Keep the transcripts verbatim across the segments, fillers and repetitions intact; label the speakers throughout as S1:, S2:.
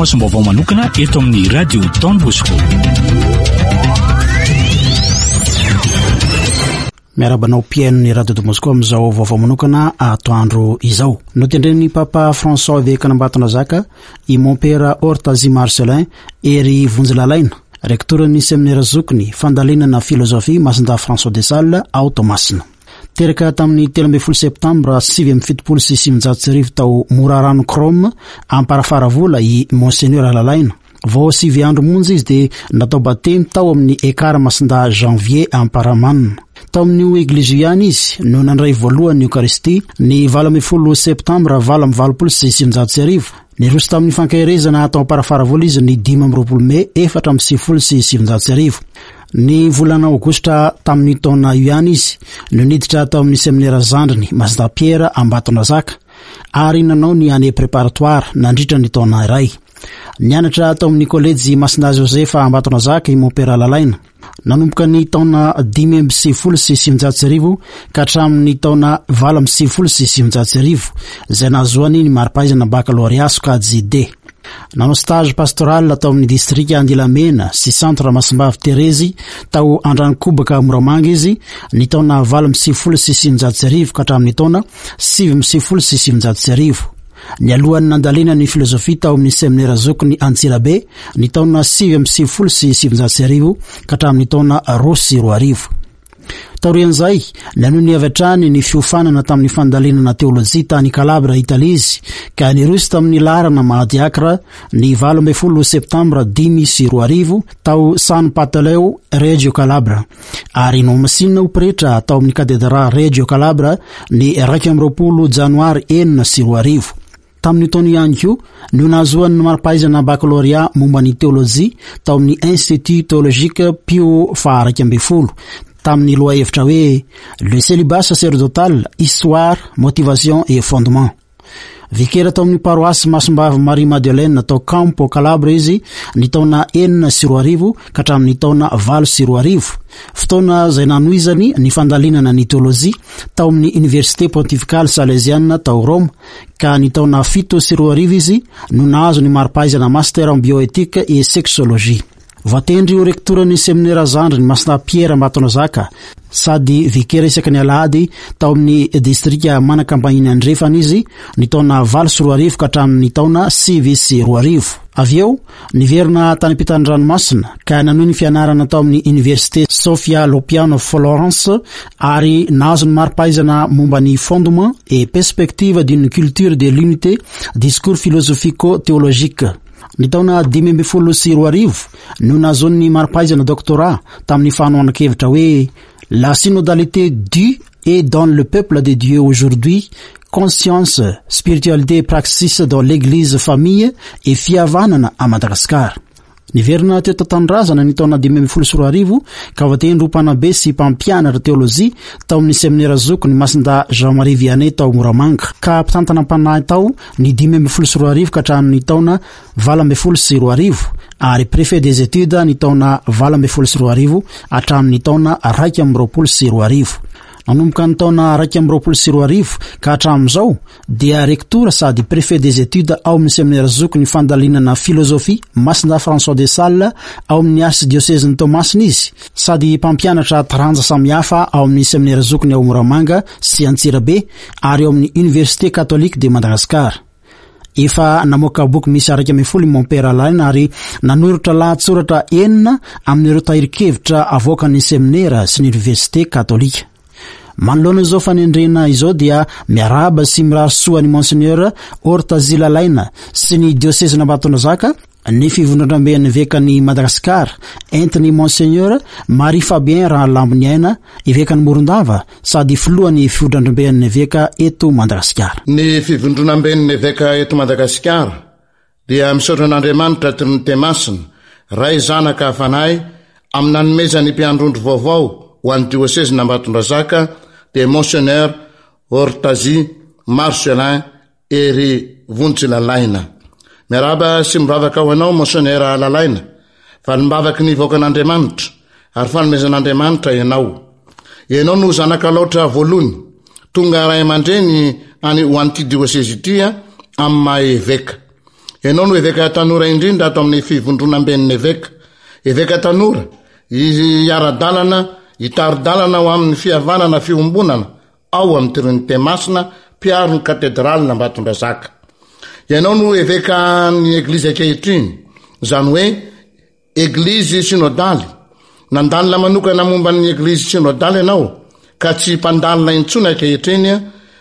S1: Fanaraha-masom-baovao manokana eto amin'ny Radio Don Bosco.
S2: Miarahaba anao mpihaino ny Radio Don Bosco amin'izao vaovao manokana atoandro izao. Notendren'ny Papa François evekan'Ambatondrazaka i Mompera Hortazy Marcelin Hery Vonjilalaina, rektoran'ny seminera zokiny fandalinana filozofia Masindahy François de Sales ao Toamasina. Teraka tamin'ny telo ambin'ny folo septambra sivy amby fitopolo sy sivinjato sy arivo tao Morarano Chrome Amparafaravola i Monseigneur Lalaina. Vao sivy andro monja izy dia natao batemy tao amin'ny Ekar Masindahy Janvier Amparamanina. Tao amin'io eglizy io ihany izy no nandray voalohany Eucharistie ny valo ambin'ny folo septambra valo amby valopolo sy sivinjato sy arivo. Niroso tamin'ny fankaherezana tao Amparafaravola izy ny dimy amby roapolo mey efatra amby sivifolo sy sivinjato sy arivo. Ny volana aogositra tamin'ny taona io ihany izy no niditra tao amin'ny seminera zandriny Masindahy Pierre Ambatondrazaka ary nanao ny année préparatoire nandritra ny taona iray. Nianatra tao amin'ny kolejy Masindahy Joseph Ambatondrazaka i Mompera Lalaina. Nanomboka ny taona dimy amby sivifolo sy sivinjato sy arivo ka hatramin'ny taona valo amby sivifolo sy sivinjato sy arivo izay nahazoany ny mari-pahaizana baccalauréat sokajy D. Nanao stage pastoral tao amin'ny distrika Andilamena sy centre Masimbavy Terezy tao Andranokobaka Moramanga izy ny taona valo amby sivifolo sy sivinjato sy arivo ka hatramin'ny taona sivy amby sivifolo sy sivinjato sy arivo. Nialohan'ny nandalina ny filozofia tao amin'ny seminera zokiny Antsirabe ny taona sivy amby sivifolo sy sivinjato sy arivo ka hatramin'ny taona roa sy roa arivo. Taorian'izay, nanohy ny avy hatrany ny fiofanana tamin'ny fandalinana teolojia tany Calabria, Italia izy, ka niroso tamin'ny laharana maha diakra ny valo ambin'ny folo septambra dimy sy roa arivo tao San Pantaleo, Reggio Calabria, ary nohamasinina ho pretra tao amin'ny katedraly Reggio Calabria ny iraika amby roapolo janoary enina sy roa arivo. Tamin'io taona ihany koa no nahazoany ny mari-pahaizana baccalauréat momba ny teolojia tao amin'ny Institut théologique Pio faha iraika ambin'ny folo tamin'ny lohahevitra hoe Le célibat sacerdotal, histoire, motivation et fondement. Vikera tao amin'ny paroasy Masimbavy Marie Madeleine tao Campo Calabria izy ny taona enina sy roa arivo ka hatramin'ny taona valo sy roa arivo. Fotoana izay nanohizany ny fandalinana ny teolojia tao amin'ny Université Pontificale Salesiana tao Roma, ka ny taona fito sy roa arivo izy no nahazo ny mari-pahaizana master en bioéthique et sexologie. Voatendry ho rektoran'ny seminera zandriny Masindahy Pierre Ambatondrazaka sady vikera isaky ny alahady tao amin'ny distrika Manakambahiny Andrefana izy ny taona valo sy roa arivo ka hatramin'ny taona sivy sy roa arivo. Avy eo, niverina tany ampitan'ny ranomasina ka nanohy ny fianarana tao amin'ny Université Sofia Lopiano Florence ary nahazo ny mari-pahaizana momba ny fondement et perspective d'une culture de l'unité, discours philosophico-théologique. Ny taona dimy ambin'ny folo sy roa arivo no nahazoany mari-pahaizana doctorat tamin'ny fanohanan-kevitra hoe La synodalité du et dans le peuple de Dieu aujourd'hui, conscience, spiritualité et praxis dans l'église famille et fihavanana à Madagascar. Niverina teto an-tanindrazana ny taona dimy ambin'ny folo sy roa arivo ka voatendry ho mpanabe sy mpampianatra teolojia tao amin'ny seminera zokiny Masindahy Jean-Marie Vianney tao Moramanga, ka mpitantana mpanahy tao ny dimy ambin'ny folo sy roa arivo ka hatramin'ny taona valo ambin'ny folo sy roa arivo ary préfet des études ny taona valo ambin'ny folo sy roa arivo hatramin'ny taona raika amby roapolo sy roa arivo. Nanomboka ny taona raika amby roapolo sy roa arivo ka hatramin'izao dia rektora sady préfet des études ao amin'ny seminera zokiny fandalinana filozofia Masindahy François de Sales ao amin'ny archidiocèse Toamasina izy, sady mpampianatra taranja samihafa ao amin'ny seminera zokiny ao Moramanga sy Antsirabe ary ao amin'ny Université catholique de Madagascar. Efa namoaka boky misy iraika ambin'ny folo i Mompera Lalaina ary nanoratra lahatsoratra enina amin'ireo tahirin-kevitra avoakan'ny seminera sy ny Université catholique. Manoloana izao fanendrena izao dia miarahaba sy mirary soa ny Monseigneur Hortazy Lalaina sy ny diocèse-n'Ambatondrazaka ny fivondronamben'ny evekan'i Madagasikara entin'ny Monseigneur Marie Fabien Rahalamboniaina evekan'i Morondava sady filohan'ny fivondronamben'ny eveka eto Madagasikara.
S3: Ny fivondronamben'ny eveka eto Madagasikara dia misaotra an'Andriamanitra Trinite Masina, Ray Zanaka Fanahy amin'ny nanomezany mpiandrondro vaovao ho an'ny diocèse-n'Ambatondrazaka dia Monseigneur Hortazy Marcelin Hery Vonjilalaina. Miarahaba sy mivavaka ho anao Monseigneur Lalaina, valimbavaky ny vahoakan'Andriamanitra ary fanomezan'Andriamanitra ianao. Ianao no zanaka laotra voalohany tonga ray aman-dreny any ho an'ity diocèse ity amin'ny maha eveka. Ianao no eveka tanora indrindra ato amin'ny fivondronamben'ny eveka. Eveka tanora, hiara-dalana, hitari-dalana ho amin'ny fihavanana fiombonana ao amin'ny Trinite Masina, mpiaro ny katedralin'Ambatondrazaka. Ianao no evekan'ny Eglizy ankehitriny, izany hoe Eglizy Synodaly. Nandalina manokana momba ny Eglizy Synodaly ianao, ka tsy mpandalina intsony ankehitriny,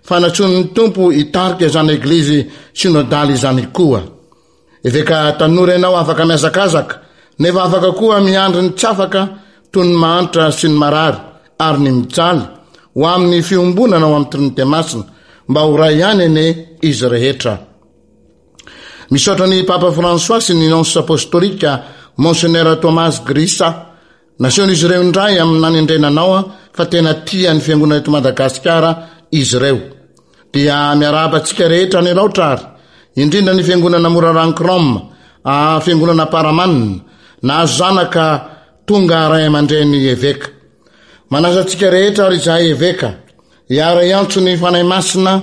S3: fa nantsoin'ny Tompo hitarika izany Eglizy Synodaly izany koa. Eveka tanora ianao afaka mihazakazaka, nefa afaka koa miandry ny tsy afaka toy ny mahantra sy ny marary ary ny mijaly, ho amin'ny fiombonana ao amin'ny Trinite Masina, mba ho ray ihany anie izy rehetra. Misaotra ny Papa François sy ny Nonce Apostolika Monseigneur Thomas Grisa. Nasehon'izy ireo indray amin'ny nanendrena anao fa tena tia ny fiangonana eto Madagasikara izy ireo. Dia miarahaba antsika rehetra any Alaotra ary indrindra ny fiangonana Morarano Chrome, fiangonana Paramanina, nahazo zanaka tonga ray aman-dreny eveka. Manasa antsika rehetra ary izahay eveka hiara-hiantso ny Fanahy Masina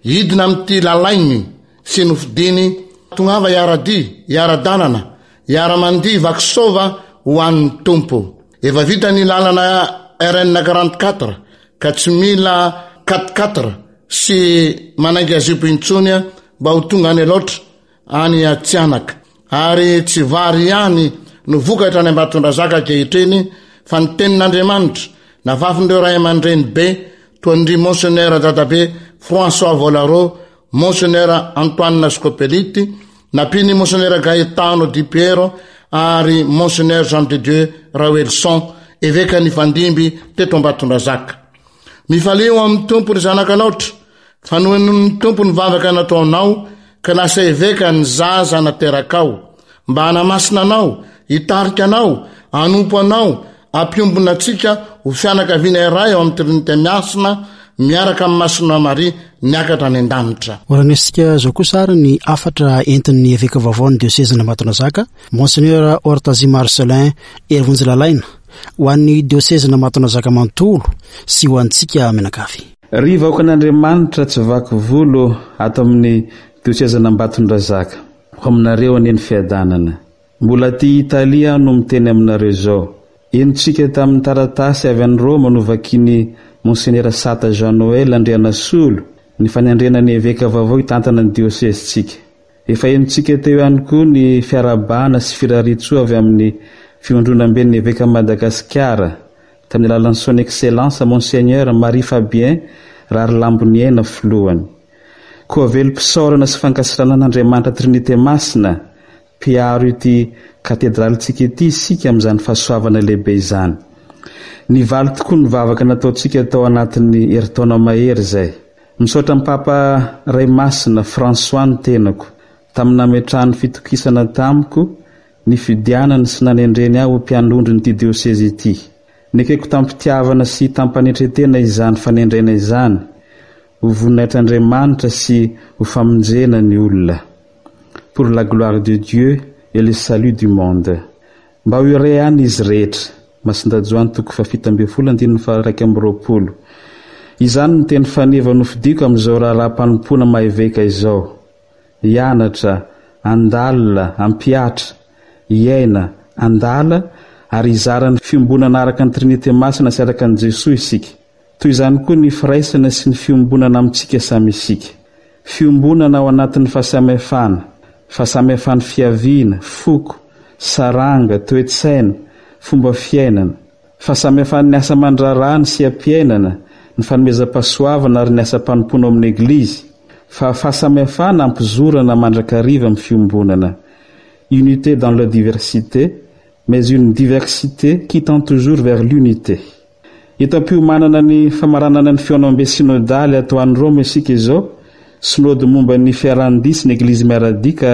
S3: hidina amin'ity lalainy sy nofidiny, tongava hiara-dia, hiara-dalana, hiara-mandihy vakisova ho an'ny Tompo. Efa vita ny lalana R N quarante-quatre ka tsy mila quatre-quatre sy manainga zipo intsony mba ho tonga any Alaotra, any Atsianaka. Ary tsy vary ihany no vokatra any Ambatondrazaka ankehitriny fa ny tenin'Andriamanitra nafafin'ireo ray aman-dreny be toa an-dry Monseigneur Dadabe François Volaro, Monseigneur Antoine Scopelliti, nampian'i Monseigneur Gaetano Di Piero ary Monseigneur Jean de Dieu Raoelison, eveka nifandimby teto Ambatondrazaka. Mifalia ao amin'ny Tompo ry zanak'Alaotra, fa nohenoin'ny Tompo ny vavaka nataonao ka lasa eveka ny zaza naterakao, mba hanamasina anao, hitarika anao, hanompo anao, hampiombona antsika ho fianakaviana iray ao amin'ny Trinite Masina miaraka amin'ny Masina Maria niakatra any an-danitra.
S2: Horanesika izao kosa ary ny hafatra entin'ny eveka vaovao ny diosezin'Ambatondrazaka, Monseigneur Hortazy Marcelin Herivonjy-Lalaina, ho an'ny diosezin'Ambatondrazaka manontolo sy ho antsika mianakavy.
S4: Ry vahoakan'Andriamanitra tsy vaky volo ato amin'ny diosezin'Ambatondrazaka, ho aminareo anie ny fiadanana. Mbola aty Italia aho no miteny aminareo izao. Henontsika tamin'ny taratasy avy any Roma novakian'i Monseigneur Sata Jean Noël Andrianasolo ny fanendrena ny eveka vaovao hitantana ny diosezintsika. Efa henontsika teo ihany koa ny fiarahabana sy firariantsoa avy amin'ny fivondronamben'ny eveka Madagasikara tamin'ny alalan'ny Son Excellence Monseigneur Marie Fabien Raharilamboniaina filohany. Koa velom-pisaorana sy fankasitrahana an'Andriamanitra Trinite Masina mpiaro ity katedralintsika ity isika amin'izany fahasoavana lehibe izany. Nivaly tokoa ny vavaka nataontsika tao anatin'ny herintaona mahery izay. Misaotra ny Papa Ray Masina François ny tenako tamin'ny nametrahany fitokisana tamiko ny fidianany sy nanendreny ahy ho mpiandrondron'ity diosezy ity. Nekeko tampitiavana sy tampanetretena izany fanendrena izany ho voninahitr'Andriamanitra sy ho famonjena ny olona. Pour la gloire de Dieu et le salut du monde. Mba ho iray ihany izy rehetra. Masinda Joany toko fahafito ambin'ny folo andininy faha-iraika amby roapolo. Izany no teny faneva nofidiko amin'izao raharaha-mpanompoana maha-eveka izao. Hianatra, handalina, hampihatra, hiaina, handala ary hizara ny fiombonana araka ny Trinite Masina sy araka an'i Jesoa isika. Toy izany koa ny firaisana sy ny fiombonana amintsika samy isika. Fiombonana ao anatin'ny fahasamihafana, fahasamihafany fiaviana, foko, saranga, toe-tsaina, fomba fiainana. Fahasamihafan'ny asa aman-draharaha ny seha-piainana, ny fanomezam-pahasoavana ary ny asam-panompoana ao amin'ny Eglizy. Fa fahasamihafana ampizorana mandrakariva amin'ny fiombonana. Unité dans la diversité, mais une diversité qui tend toujours vers l'unité. Eto am-piomanana ny famaranana ny fihaonambe synodaly ato any Roma isika izao, synode momba ny fiarahan-dia sy ny Eglizy miara-dia ka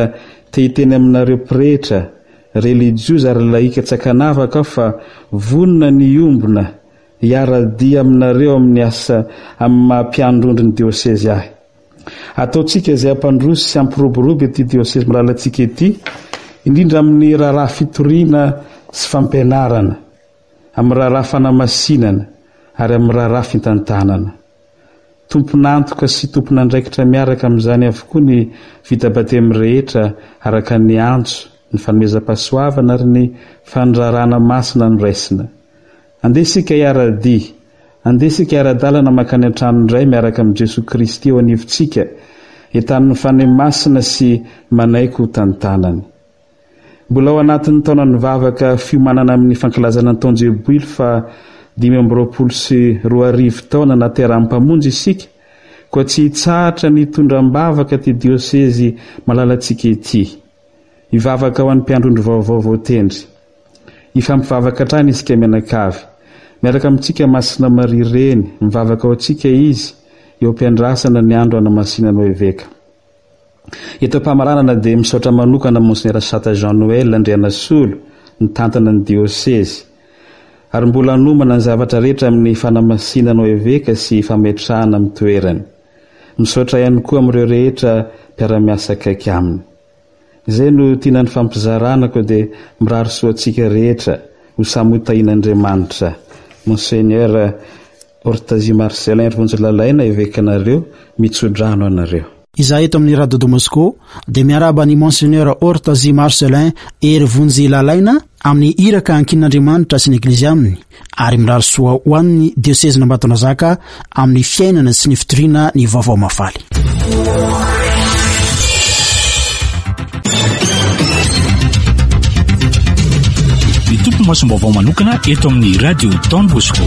S4: te hiteny aminareo pretra, relijiozy ary laika tsy ankanavaka aho fa vonona ny hiombona hiara-dia aminareo amin'ny asa amin'ny maha mpiandrondro ny diosezy ahy. Ataontsika izay hampandroso sy hampiroborobo ity diosezy malalantsika ity, indrindra amin'ny raharaha fitoriana sy fampianarana, amin'ny raharaha fanamasinana ary amin'ny raharaha fitantanana. Tompon'antoka sy tompon'andraikitra miaraka amin'izany avokoa ny vita batemy rehetra araka ny antso, ny fanomezam-pahasoavana ary ny fandrarana masina noraisina. Andeha isika hiara-dia, andeha isika hiara-dalana mankany an-tranon-dRay miaraka amin'i Jesoa Kristy eo anivontsika, entanin'ny Fanahy Masina sy manaiky ho tantanany. Mbola ao anatin'ny taonan'ny vavaka fiomanana amin'ny fankalazana ny taon-jeboily faha dimy amby roapolo sy roa arivo taona nahaterahan'ny Mpamonjy isika, koa tsy hitsahatra ny hitondra am-bavaka ity diosezy malalantsika ity. Hivavaka ho an'ny mpiandrondro vaovao voatendry. Hifampivavaka hatrany isika mianakavy. Miaraka amintsika Masina Maria Reny, mivavaka ho antsika izy eo am-piandrasana ny andro hanamasinana ho eveka. Eto am-pamaranana dia misaotra manokana Monsenera Sata Jean Noël Andrianasolo nitantana ny diosezy ary mbola hanomana ny zavatra rehetra amin'ny fanamasinana ho eveka sy fametrahana amin'ny toerany. Misaotra ihany koa amin'ireo rehetra mpiara-miasa akaiky aminy. Izay no tiana nifampizarana koa dia mirary soa antsika rehetra ho samy ho tahian'Andriamanitra. Monseigneur Hortazio Marcellin Rivonjolalaina, evekanareo, mitsodrano anareo.
S2: Izahay eto amin'ny Radio Don Bosco dia miarahaba an'i Monseigneur Hortazy Marcellin Hery Vonjy Lalaina amin'ny iraka ankinin'Andriamanitra sy ny Eglizy aminy ary mirary soa ho an'ny diosezin'Ambatonazaka amin'ny fiainana sy ny fitoriana ny vaovao mahafaly.
S1: Ny tompo masom-baovao manokana eto amin'ny Radio Don Bosco.